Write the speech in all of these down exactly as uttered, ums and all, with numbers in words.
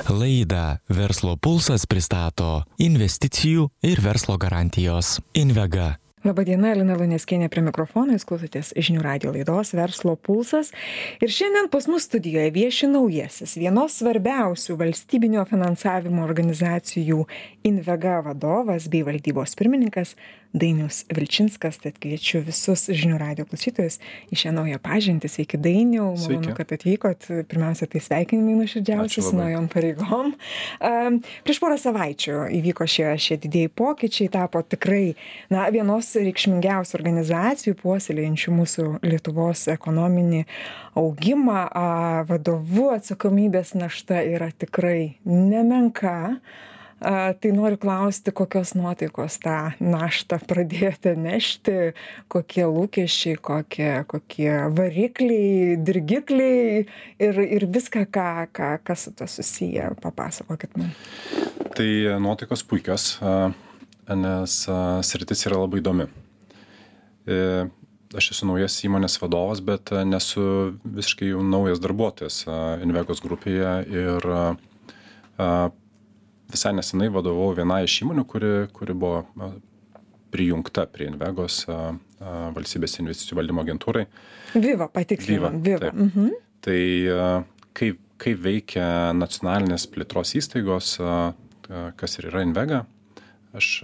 Laidą Verslo pulsas pristato investicijų ir verslo garantijos Invega. Labadiena, Lina Luneckienė prie mikrofono, jūs klausotės žinių radijo laidos Verslo pulsas. Ir šiandien pas mus studijoje vieši naujasis, vienos svarbiausių valstybinio finansavimo organizacijų Invega vadovas bei valdybos pirmininkas Dainius Vilčinskas. Tad kviečiu visus žinių radijo klausytojus į šią naują pažintį. Sveiki, Dainiau, malonu, kad atvykot. Pirmiausia, tai sveikinimai nuoširdžiausi su naujom pareigom. Um, prieš porą savaičių įvyko šie, šie didieji pokyčiai, tapo tikrai na, vienos reikšmingiausių organizacijų puoselėjančių mūsų Lietuvos ekonominį augimą. A, vadovų atsakomybės našta yra tikrai nemenka. A, tai noriu klausti, kokios nuotaikos tą naštą pradėjote nešti, kokie lūkesčiai, kokie, kokie varikliai, dirgikliai ir, ir viską, ką, ką, kas su to susiję. Papasakokit man. Tai nuotaikos puikios, nes sritis yra labai įdomi. Aš esu naujas įmonės vadovas, bet nesu visiškai jau naujas darbuotojas Invegos grupėje ir visai nesenai vadovau vienai iš įmonių, kuri, kuri buvo prijungta prie Invegos valstybės investicijų valdymo agentūrai. Viva, patikslinam. Viva. Viva. Mhm. Tai kaip, kaip veikia nacionalinės plėtros įstaigos, kas ir yra Invega, aš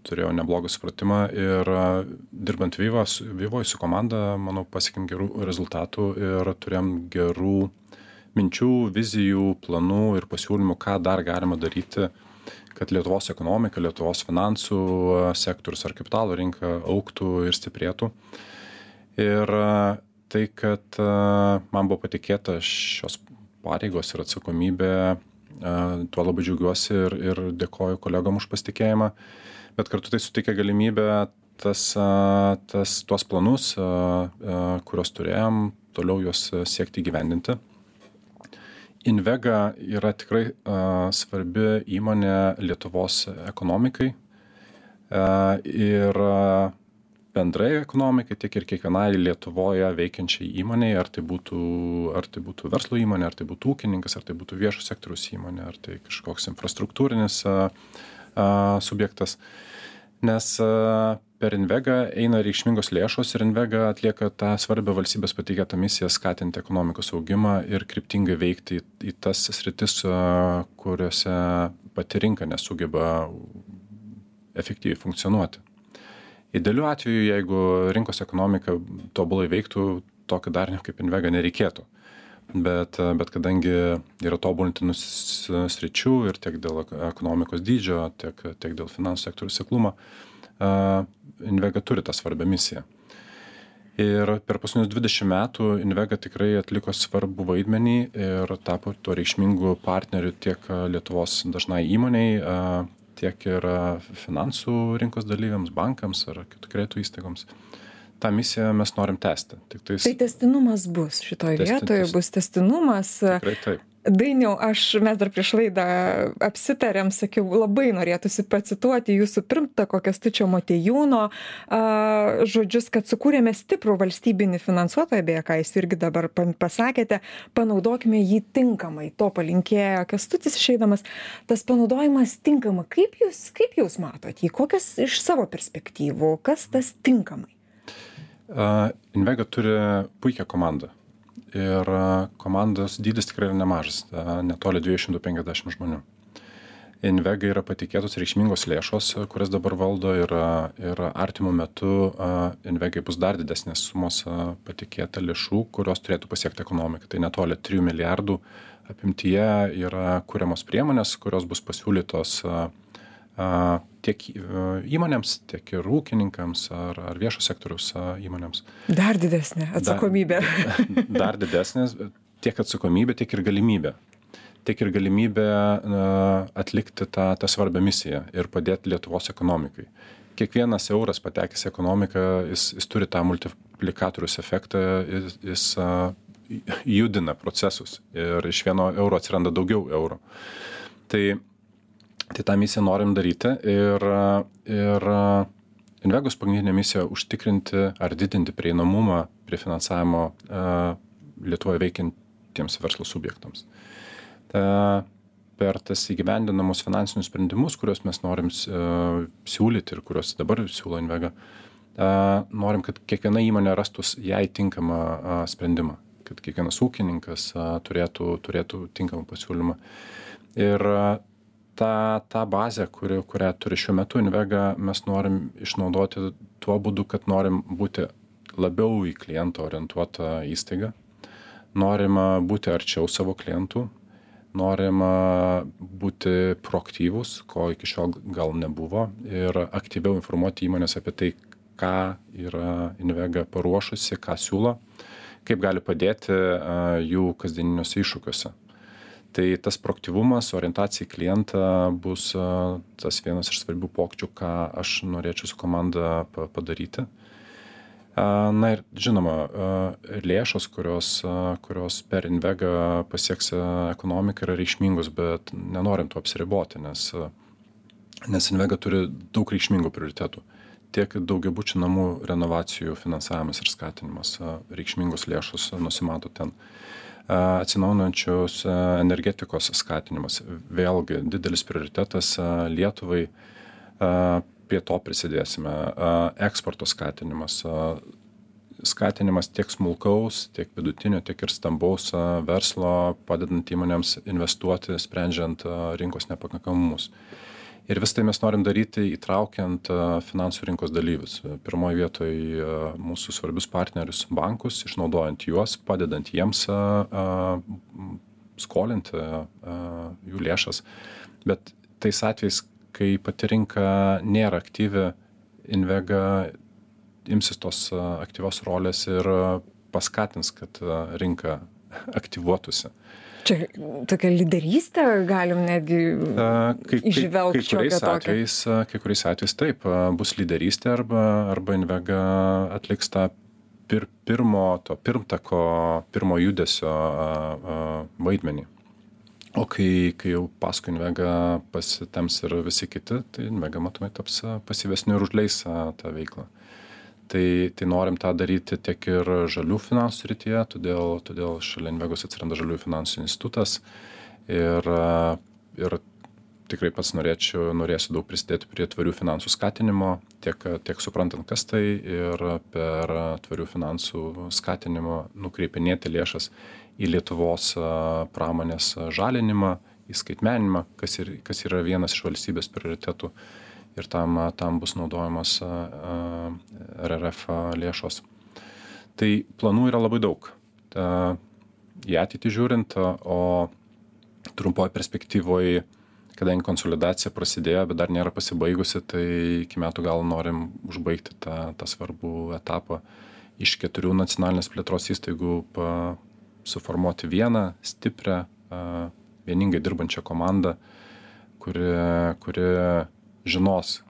turėjau neblogą supratimą ir dirbant Viva, Vivoje su komanda, manau, pasiekėm gerų rezultatų ir turėjom gerų minčių, vizijų, planų ir pasiūlymų, ką dar galima daryti, kad Lietuvos ekonomika, Lietuvos finansų sektorius ar kapitalo rinka augtų ir stiprėtų. Ir tai, kad man buvo patikėta šios pareigos ir atsakomybė, tuo labai džiaugiuosi ir, ir dėkoju kolegom už pasitikėjimą, bet kartu tai suteikia galimybę tas, tas, tuos planus, kuriuos turėjom, toliau juos siekti įgyvendinti. Invega yra tikrai uh, svarbi įmonė Lietuvos ekonomikai uh, ir uh, bendrai ekonomikai, tiek ir kiekvienai Lietuvoje veikiančiai įmonei, ar tai būtų, ar tai būtų verslo įmonė, ar tai būtų ūkininkas, ar tai būtų viešo sektoriaus įmonė, ar tai kažkoks infrastruktūrinis uh, uh, subjektas. Nes uh, per Invega eina reikšmingos lėšos ir Invega atlieka tą svarbią valstybės patikėtą misiją skatinti ekonomikos augimą ir kryptingai veikti į, į tas sritis, kuriuose pati rinka nesugeba efektyviai funkcionuoti. Idealiu atveju, jeigu rinkos ekonomika tobulai veiktų, tokio darinio kaip Invega nereikėtų. Bet, bet kadangi yra tobulintinų sričių ir tiek dėl ekonomikos dydžio, tiek, tiek dėl finansų sektorių seklumo, Uh, Invega turi tą svarbią misiją. Ir per paskutinius dvidešimt metų Invega tikrai atliko svarbų vaidmenį ir tapo tuo reikšmingu partneriu tiek Lietuvos dažnai įmoniai, uh, tiek ir finansų rinkos dalyviams, bankams ar kitų kreditų įstaigoms. Ta misiją mes norim tęsti. Tik tais... Tai tęstinumas bus šitoje Testi, vietoje, testi. bus tęstinumas. Tikrai taip. Dainiau, aš, mes dar prieš laidą apsitarėm, sakiau, labai norėtųsi pacituoti jūsų pirmtako Kęstučio Motiejūno a, žodžius, kad sukūrėme stiprų valstybinį finansuotoją, beje, ką jūs irgi dabar pasakėte, panaudokime jį tinkamai. To palinkėjo Kęstutis išeidamas. Tas panaudojimas tinkamai. Kaip jūs, kaip jūs matot jį? Kokias iš savo perspektyvų? Kas tas tinkamai? Uh, Invega turi puikią komandą. Ir komandos dydis tikrai yra nemažas, netoli dviejų šimtų penkiasdešimt žmonių. Invega yra patikėtos reikšmingos lėšos, kurias dabar valdo ir, ir artimų metu Invegai bus dar didesnės sumos patikėta lėšų, kurios turėtų pasiekti ekonomiką. Tai netoli trijų milijardų apimtyje yra kuriamos priemonės, kurios bus pasiūlytos tiek įmonėms, tiek ir ūkininkams ar, ar viešo sektoriaus įmonėms. Dar didesnė atsakomybė. Dar, dar didesnės, tiek atsakomybė, tiek ir galimybė. Tiek ir galimybė atlikti tą, tą svarbią misiją ir padėti Lietuvos ekonomikai. Kiekvienas euras patekęs į ekonomiką, jis, jis turi tą multiplikatorius efektą, jis, jis judina procesus ir iš vieno euro atsiranda daugiau eurų. Tai Tai tą misiją norim daryti ir, ir Invegos pagrindinė misija užtikrinti ar didinti prieinamumą prie finansavimo uh, Lietuvoje veikiantiems verslo subjektams. Ta, per tas įgyvendinamus finansinius sprendimus, kuriuos mes norim siūlyti ir kuriuos dabar siūlo Invega, norim, kad kiekviena įmonė rastų jai tinkamą sprendimą, kad kiekvienas ūkininkas turėtų, turėtų tinkamą pasiūlymą. Ir tą, tą bazę, kuri, kurią turi šiuo metu Invega, mes norim išnaudoti tuo būdu, kad norim būti labiau į klientą orientuotą įstaigą, norim būti arčiau savo klientų, norim būti proaktyvūs, ko iki šiol gal nebuvo, ir aktyviau informuoti įmonės apie tai, ką yra Invega paruošusi, ką siūlo, kaip gali padėti jų kasdieniniuose iššūkiuose. Tai tas proaktyvumas, orientacija į klientą bus tas vienas iš svarbių pokyčių, ką aš norėčiau su komanda padaryti. Na ir žinoma, lėšos, kurios, kurios per Invega pasieks ekonomiką, yra reikšmingos, bet nenorim to apsiriboti, nes, nes Invega turi daug reikšmingų prioritetų. Tiek daugiabučių namų renovacijų finansavimas ir skatinimas, reikšmingos lėšos nusimato ten. Atsinaujinančios energetikos skatinimas, vėlgi didelis prioritetas Lietuvai, prie to prisidėsime. Eksporto skatinimas, skatinimas tiek smulkaus, tiek vidutinio, tiek ir stambaus verslo, padedant įmonėms investuoti, sprendžiant rinkos nepakankamumus. Ir vis tai mes norim daryti įtraukiant finansų rinkos dalyvius. Pirmoje vietoje mūsų svarbius partnerius bankus, išnaudojant juos, padedant jiems skolinti jų lėšas. Bet tais atvejais, kai pati rinka nėra aktyvi, Invega imsis tos aktyvios rolės ir paskatins, kad rinka aktyvuotųsi. Čia tokia lyderystė, galim netgi išvelgti šiokią tokią. Kai kuriais atvejais taip, bus lyderystė arba, arba Invega atliks tą pir, pirmo, to pirmtako, pirmo judesio vaidmenį. O kai, kai jau paskui Invega pasitems ir visi kiti, tai Invega matomai taps pasyvesniu ir užleis tą veiklą. Tai, tai norim tą daryti tiek ir žalių finansų srityje, todėl, todėl šalia Invegos atsiranda žaliųjų finansų institutas ir, ir tikrai pats norėčiau, norėsiu daug prisidėti prie tvarių finansų skatinimo, tiek, tiek suprantant, kas tai, ir per tvarių finansų skatinimo nukreipinėti lėšas į Lietuvos pramonės žalinimą, į skaitmeninimą, kas, ir, kas yra vienas iš valstybės prioritetų. Ir tam, tam bus naudojamos R R F lėšos. Tai planų yra labai daug. Ta, į ateitį žiūrint, o trumpoje perspektyvoje, kadangi konsolidacija prasidėjo, bet dar nėra pasibaigusi, tai iki metų gal norim užbaigti tą, tą svarbų etapą. Iš keturių nacionalinės plėtros įstaigų pa, suformuoti vieną stiprią, vieningai dirbančią komandą, kuri, kuri žinos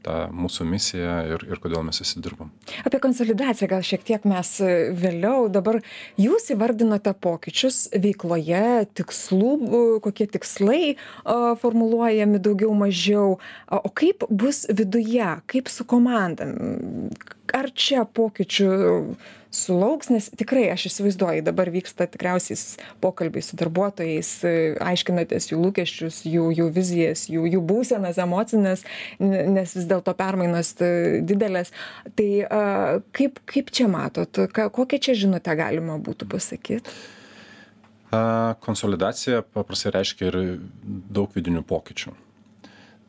tą mūsų misiją ir, ir kodėl mes įsidirbam. Apie konsolidaciją gal šiek tiek mes vėliau. Dabar jūs įvardinote pokyčius veikloje, tikslų, kokie tikslai formuluojami daugiau mažiau. O kaip bus viduje, kaip su komanda? Ar čia pokyčių sulauks, nes tikrai aš įsivaizduoju, dabar vyksta tikriausiai pokalbiai su darbuotojais, aiškinatės jų lūkesčius, jų, jų vizijas, jų, jų būsenas, emocinės, nes vis dėlto permainos didelės. Tai kaip, kaip čia matot, kokią čia žinutę galima būtų pasakyti? Konsolidacija paprastai reiškia ir daug vidinių pokyčių.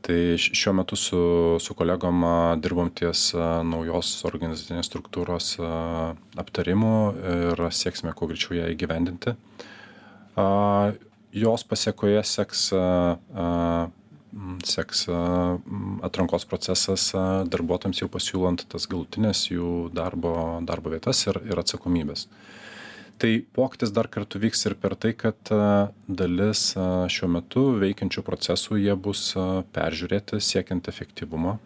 Tai šiuo metu su, su kolegom dirbam ties naujos organizacinės struktūros aptarimų ir sieksime kuo greičiau ją įgyvendinti. Jos pasiekoje seks, seks atrankos procesas darbuotojams jau pasiūlant tas galutinės jų darbo, darbo vietas ir, ir atsakomybės. Tai pokytis dar kartu vyks ir per tai, kad dalis šiuo metu veikiančių procesų jie bus peržiūrėti siekiant efektyvumo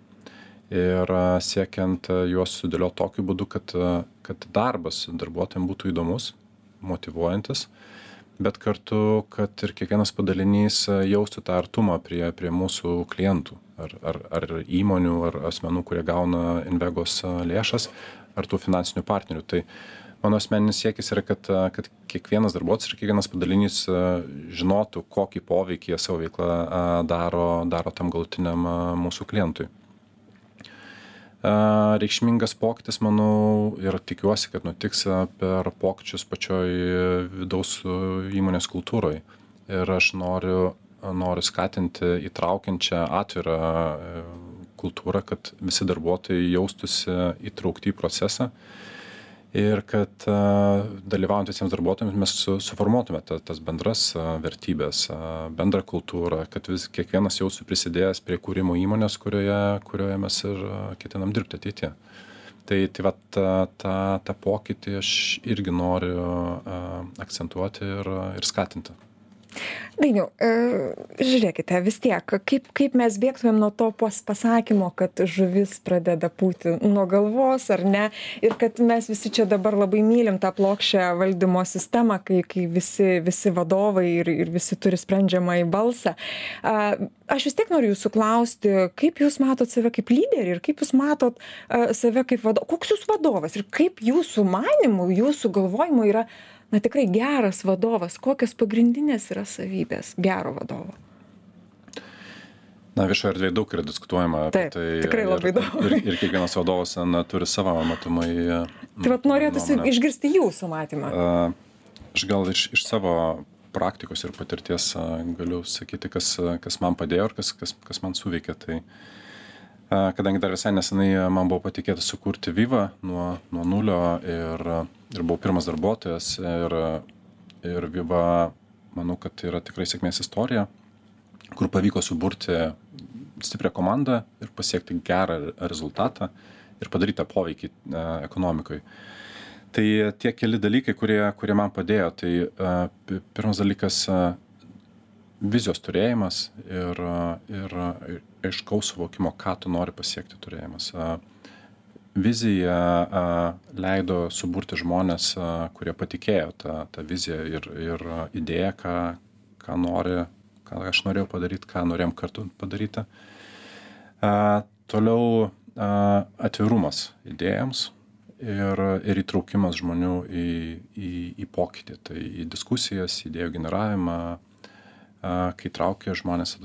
ir siekiant juos sudėlioti tokiu būdu, kad, kad darbas darbuotojams būtų įdomus, motyvuojantis, bet kartu, kad ir kiekvienas padalinys jaustų tą artumą prie, prie mūsų klientų, ar, ar, ar įmonių, ar asmenų, kurie gauna Invegos lėšas, ar tų finansinių partnerių. Tai mano asmeninis siekis yra, kad, kad kiekvienas darbuotojas ir kiekvienas padalinys žinotų, kokį poveikį jie savo veiklą daro, daro tam galutiniam mūsų klientui. Reikšmingas pokytis, manau, ir tikiuosi, kad nutiks per pokyčius pačioj vidaus įmonės kultūroje. Ir aš noriu, noriu skatinti įtraukiančią atvirą kultūrą, kad visi darbuotojai jaustųsi įtraukti į procesą ir kad dalyvaujant visiems darbuotojams mes su, suformuotume ta, tas bendras vertybės, bendrą kultūrą, kad vis, kiekvienas jaustų prisidėjęs prie kūrimo įmonės, kurioje, kurioje mes ir ketinam dirbti ateityje. Tai, tai va, tą, tą, tą pokytį aš irgi noriu akcentuoti ir, ir skatinti. Dainiau, žiūrėkite, vis tiek, kaip, kaip mes bėgtumėm nuo to pasakymo, kad žuvis pradeda pūti nuo galvos, ar ne, ir kad mes visi čia dabar labai mylim tą plokščią valdymo sistemą, kai, kai visi, visi vadovai ir, ir visi turi sprendžiamą į balsą. Aš vis tiek noriu jūsų klausti, kaip jūs matot save kaip lyderį ir kaip jūs matot save kaip vadovas, koks jūs vadovas ir kaip jūsų manimų, jūsų galvojimų yra na tikrai geras vadovas, kokios pagrindinės yra savybės gero vadovo? Na, viešoje erdvėje daug yra diskutuojama apie Taip, tai. Tikrai labai ir, daug. Ir, ir kiekvienas vadovas na, turi savo matomai. Tai vat norėtųsi išgirsti jūsų matymą. Aš gal iš, iš savo praktikos ir patirties galiu sakyti, kas, kas man padėjo ir kas, kas, kas man suveikė. Tai, kadangi dar visai nesenai man buvo patikėta sukurti Viva nuo, nuo nulio ir, ir buvau pirmas darbuotojas ir, ir Viva, manau, kad tai yra tikrai sėkmės istorija, kur pavyko suburti stiprią komandą ir pasiekti gerą rezultatą ir padaryti tą poveikį ekonomikai. Tai tie keli dalykai, kurie, kurie man padėjo, tai pirmas dalykas vizijos turėjimas ir, ir, ir aiškaus suvokimo, ką tu nori pasiekti turėjimas. Vizija leido suburti žmonės, kurie patikėjo tą, tą viziją ir, ir idėją, ką, ką nori, ką aš norėjau padaryti, ką norėjom kartu padaryti. Toliau atvirumas idėjams ir, ir įtraukimas žmonių į, į, į pokytį, tai į diskusijas, idėjų generavimą. Kai traukia žmonės,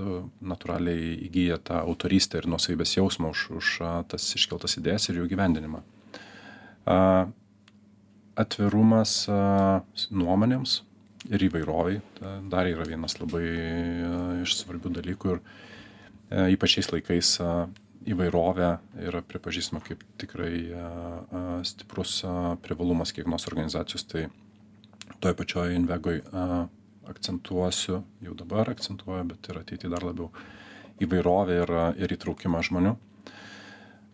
natūraliai įgyja tą autorystę ir nuosavybės jausmą už, už tas iškeltas idėjas ir jų gyvendinimą. Atvirumas nuomonėms ir įvairoviai dar yra vienas labai iš svarbių dalykų ir ypač šiais laikais įvairovė yra pripažįstama kaip tikrai stiprus privalumas kiekvienos organizacijos, tai toj pačioj Invegoj akcentuosiu, jau dabar akcentuoju, bet ir ateity dar labiau įvairovę ir, ir įtraukimą žmonių.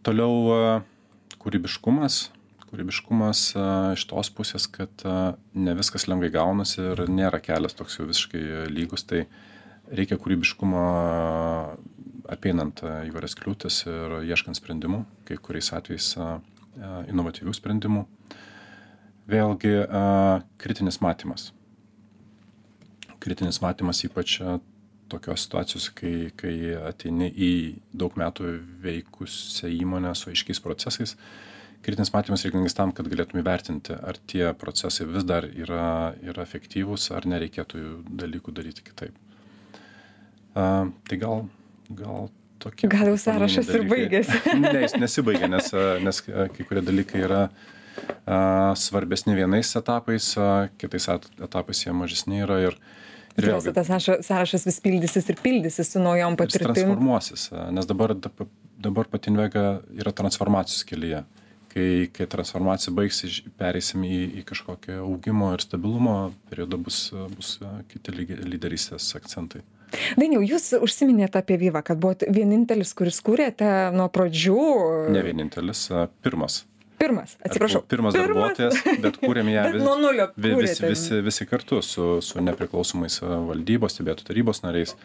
Toliau kūrybiškumas. Kūrybiškumas iš tos pusės, kad ne viskas lengvai gaunasi ir nėra kelias toks jau visiškai lygus, tai reikia kūrybiškumo apeinant įvairias kliūtis ir ieškant sprendimų, kai kuriais atvejais inovatyvių sprendimų. Vėlgi kritinis matymas. Kritinis matymas ypač tokios situacijos, kai, kai ateini į daug metų veikusią įmonę su aiškiais procesais. Kritinis matymas reikalingas tam, kad galėtume įvertinti, ar tie procesai vis dar yra, yra efektyvūs, ar nereikėtų dalykų daryti kitaip. Uh, tai gal, gal tokie... Gal jau sąrašas ir baigėsi. Ne, jis nesibaigia, nes, nes kai kurie dalykai yra uh, svarbesni vienais etapais, uh, kitais etapais jie mažesni yra ir Tikriausiai tas sąrašas vis pildysis ir pildysis su naujom patirtim. Jis transformuosis, nes dabar, dabar pati Invega yra transformacijos kelyje. Kai, kai transformacija baigsis, pereisim į, į kažkokią augimo ir stabilumo periodą, bus, bus kiti lyderystės akcentai. Dainiau, jūs užsiminėte apie Viva, kad buvote vienintelis, kuris kūrėte nuo pradžių. Ne vienintelis, pirmas. Pirmas, atsiprašau. Pirmas, pirmas darbuotojas, bet kūrėm ją vis, nuo nulio visi, visi, visi kartu su, su nepriklausomais valdybos, stebėtojų tarybos nariais.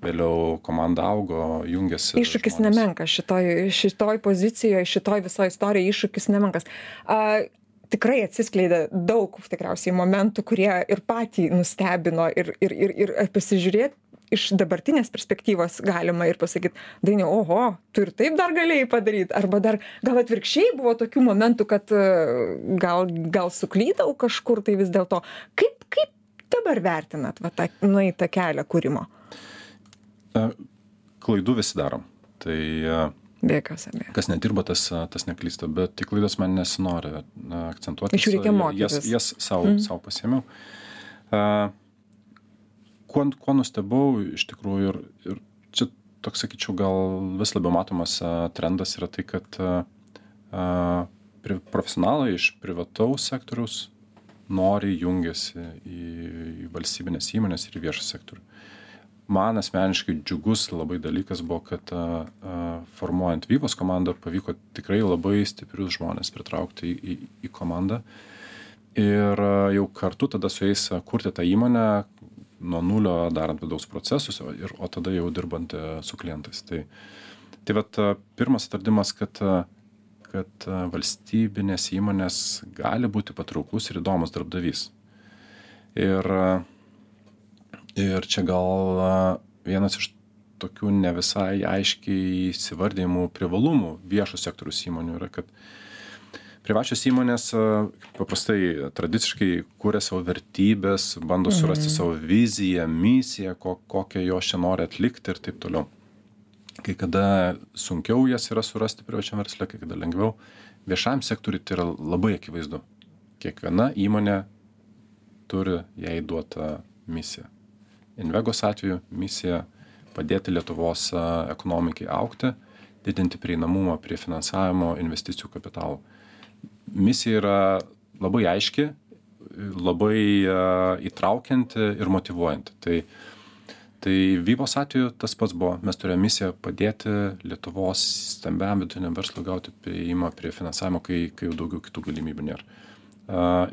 Vėliau komanda augo, jungėsi. Iššūkis žmonės. Nemenkas šitoj, šitoj pozicijoje, šitoj visoje istorijoje iššūkis nemenkas. A, tikrai atsiskleidė daug tikriausiai momentų, kurie ir patį nustebino ir, ir, ir, ir pasižiūrėti iš dabartinės perspektyvos galima ir pasakyti, Dainiau, oho, tu ir taip dar galėjai padaryti, arba dar gal atvirkščiai buvo tokių momentų, kad gal, gal suklydau kažkur, tai vis dėlto. Kaip, kaip dabar vertinat va, tą nueitą kelią kūrimo? Klaidų visi darom. Tai be jokios abejonės. Kas nedirba, tas, tas neklysta, bet tik klaidas man nesinori akcentuoti. Iš jų reikia mokytis. Jas, jas savo, mm. savo pasiėmiau. Uh, kuo, kuo nustebau iš tikrųjų ir, ir čia toks, sakyčiau, gal vis labiau matomas uh, trendas yra tai, kad uh, uh, profesionalai iš privataus sektoriaus nori jungiasi į, į valstybinės įmonės ir į viešą sektorių. Man asmeniškai džiugus labai dalykas buvo, kad a, a, formuojant Vyvos komandą pavyko tikrai labai stiprius žmonės pritraukti į, į, į komandą ir a, jau kartu tada su jais kurti tą įmonę nuo nulio darant vidaus procesus, ir, o tada jau dirbant a, su klientais. Tai, tai vat a, pirmas atradimas, kad, a, kad a, valstybinės įmonės gali būti patrauklus ir įdomus darbdavys. Ir a, Ir čia gal vienas iš tokių ne visai aiškiai įsivardėjimų privalumų viešo sektoriaus įmonių yra, kad privačios įmonės paprastai tradiciškai kuria savo vertybės, bando surasti mhm. savo viziją, misiją, ko, kokią jos čia nori atlikti ir taip toliau. Kai kada sunkiau jas yra surasti privačiam versle, kai kada lengviau. Viešam sektoriui tai yra labai akivaizdu. Kiekviena įmonė turi jai duotą misiją. Invegos atveju misija padėti Lietuvos ekonomikai augti, didinti prieinamumą prie finansavimo investicijų kapitalų. Misija yra labai aiški, labai įtraukianti ir motyvuojanti. Tai, tai Vyvos atveju tas pats buvo. Mes turėjome misiją padėti Lietuvos stambiam vidutiniam verslui gauti prieimą prie finansavimo, kai, kai jau daugiau kitų galimybių nėra. Uh,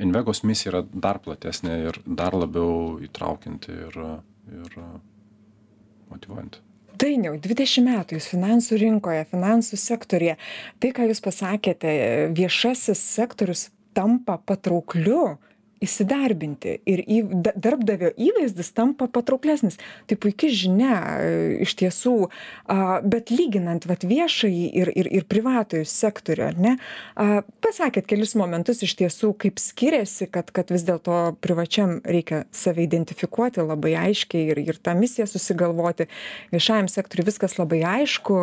Invegos misija yra dar platesnė ir dar labiau įtraukianti ir, ir motyvuojanti. Dainiau, dvidešimt metų jūs finansų rinkoje, finansų sektorėje. Tai, ką jūs pasakėte, viešasis sektorius tampa patraukliu įsidarbinti ir į, darbdavio įvaizdis tampa patrauklesnis. Tai puikia žinia iš tiesų, bet lyginant vat, viešąjį ir, ir, ir privatojų sektorių, ar ne, pasakėt kelis momentus iš tiesų, kaip skiriasi, kad, kad vis dėlto privačiam reikia save identifikuoti labai aiškiai ir, ir tą misiją susigalvoti. Viešajam sektoriui viskas labai aišku,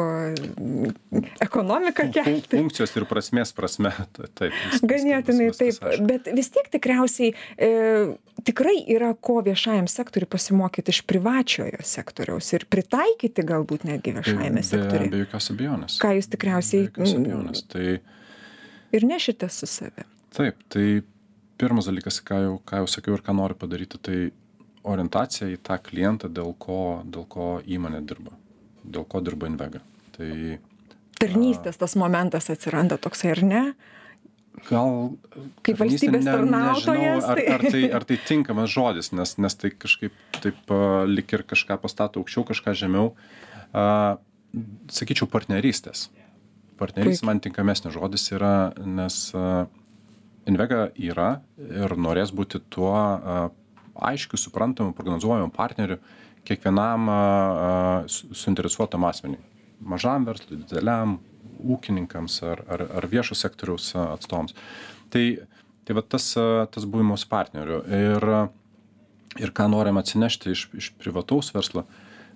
ekonomika kelti. Funkcijos ir prasmės prasme. Taip, ganėtinai taip, bet vis tiek tikriausiai E, tikrai yra ko viešajam sektoriui pasimokyti iš privačiojo sektoriaus ir pritaikyti galbūt netgi viešajame be, sektoriui. Be jokios abejonės. Ką jūs tikriausiai Be jokios abejonės. Tai, ir nešite su savimi. Taip, tai pirmas dalykas, ką jau, ką jau sakiau ir ką noriu padaryti, tai orientacija į tą klientą, dėl ko, dėl ko įmonė dirba, dėl ko dirba Invega. Tai, tarnystės tas momentas atsiranda toksai, ar ne? Gal kaip valstybės ne, tarnautojas. Nežinau, ar, ar, tai, ar tai tinkamas žodis, nes, nes tai kažkaip taip uh, lik ir kažką pastato aukščiau, kažką žemiau. Uh, sakyčiau, partnerystės. Partnerystės man tinkamesnis žodis yra, nes uh, Invega yra ir norės būti tuo uh, aiškiu, suprantamu, prognozuojamu partneriu kiekvienam uh, suinteresuotam asmeniui. Mažam verslui, dideliam, ūkininkams ar, ar, ar viešo sektoriaus atstovams. Tai, tai va tas, tas buvimas partnerių. Ir, ir ką norim atsinešti iš, iš privataus verslo.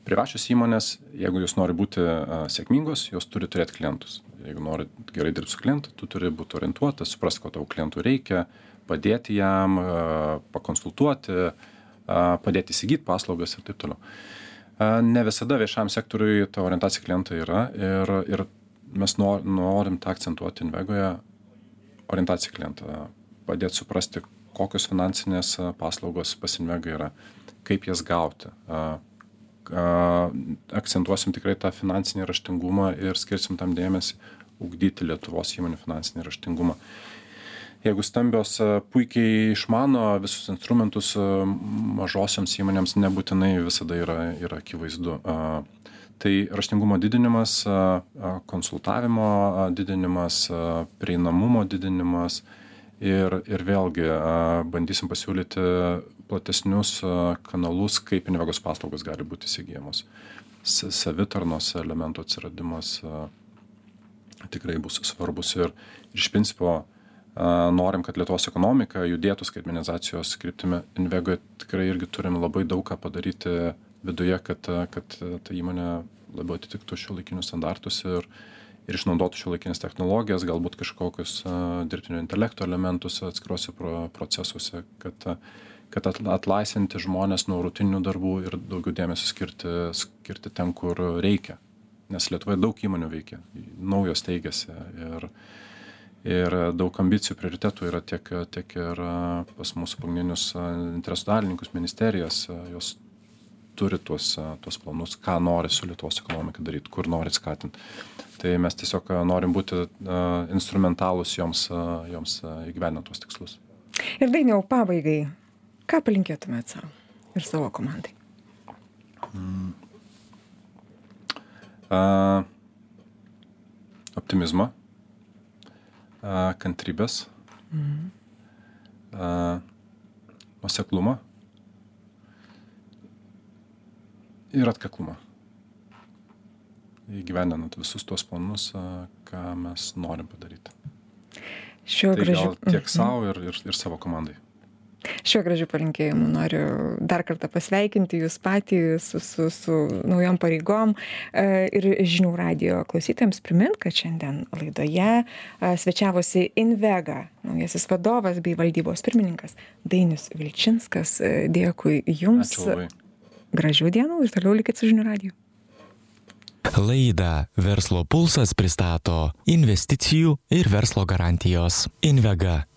Privačios įmonės, jeigu jos nori būti a, sėkmingos, jos turi turėti klientus. Jeigu nori gerai dirbti su klientu, tu turi būti orientuotas, suprasti, ko tavo klientų reikia, padėti jam, a, pakonsultuoti, a, padėti įsigyti paslaugas ir taip toliau. A, ne visada viešam sektoriui ta orientacija klientai yra ir, ir mes norim tą akcentuoti Invegoje, orientaciją klientą, padėti suprasti, kokios finansinės paslaugos pas Invegą yra, kaip jas gauti. Akcentuosim tikrai tą finansinį raštingumą ir skirsim tam dėmesį ugdyti Lietuvos įmonių finansinį raštingumą. Jeigu stambios puikiai išmano visus instrumentus, mažosioms įmonėms nebūtinai visada yra, yra akivaizdu. Tai raštingumo didinimas, konsultavimo didinimas, prieinamumo didinimas ir, ir vėlgi bandysim pasiūlyti platesnius kanalus, kaip Invegos paslaugos gali būti įsigyjamos. Savitarnos elementų atsiradimas tikrai bus svarbus ir iš principo norim, kad Lietuvos ekonomika judėtų skaitmenizacijos kryptimi. Invegoje tikrai irgi turim labai daug ką padaryti viduje, kad, kad ta įmonė labiau atitiktų šiuolaikinius standartus ir, ir išnaudotų šiuolaikinės technologijas, galbūt kažkokius dirbtinio intelekto elementus atskiruose pro, procesuose, kad, kad atlaisvinti žmonės nuo rutininių darbų ir daugiau dėmesio skirti, skirti ten, kur reikia. Nes Lietuvoje daug įmonių veikia, naujos teigiasi ir Ir daug ambicijų, prioritetų yra tiek, tiek ir pas mūsų pagrindinius interesų dalininkus, ministerijas, jos turi tuos, tuos planus, ką nori su Lietuvos ekonomika daryti, kur nori skatinti. Tai mes tiesiog norim būti instrumentalūs joms, joms įgyvendinant tuos tikslus. Ir Dainiau, pabaigai, ką palinkėtumėt savo ir savo komandai? Mm. Uh, optimizmo. Kantrybės, mhm. nuoseklumą ir atkaklumą. Įgyvendinant visus tuos planus, ką mes norim padaryti. Šiuo tai gražiu... gal tiek savo ir, ir, ir savo komandai. Šiuo gražiu palinkėjimu noriu dar kartą pasveikinti jūs patį su, su, su naujom pareigom ir žinių radijo klausytojams primint, kad šiandien laidoje svečiavosi Invega naujasis vadovas bei valdybos pirmininkas Dainius Vilčinskas. Dėkui jums. Gražių dienų ir toliau likit su žinių radiju. Laidą Verslo pulsas pristato investicijų ir verslo garantijos. Invega.